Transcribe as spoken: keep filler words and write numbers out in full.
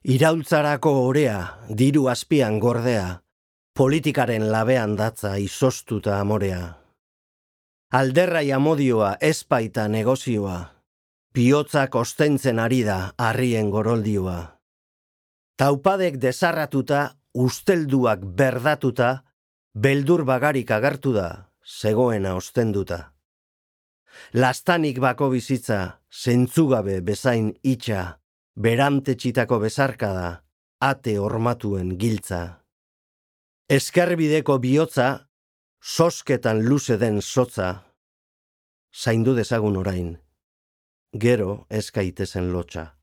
Iraultzarako orea, diru azpian gordea, politikaren labean datza izostuta amorea. Alderrai amodioa ezpaita negozioa, bihotzak ostentzen ari da harrien goroldioa. Taupadek desarratuta, ustelduak berdatuta, beldur bagarik agertu da, zegoena ostenduta. Lastanik bako bizitza, zentzugabe bezain itxa, berantetxitako bezarkada, ate hormatuen giltza. Eskerbideko bihotza, sosketan luze den sotza, zaindu dezagun orain, gero eskaitezen lotxa.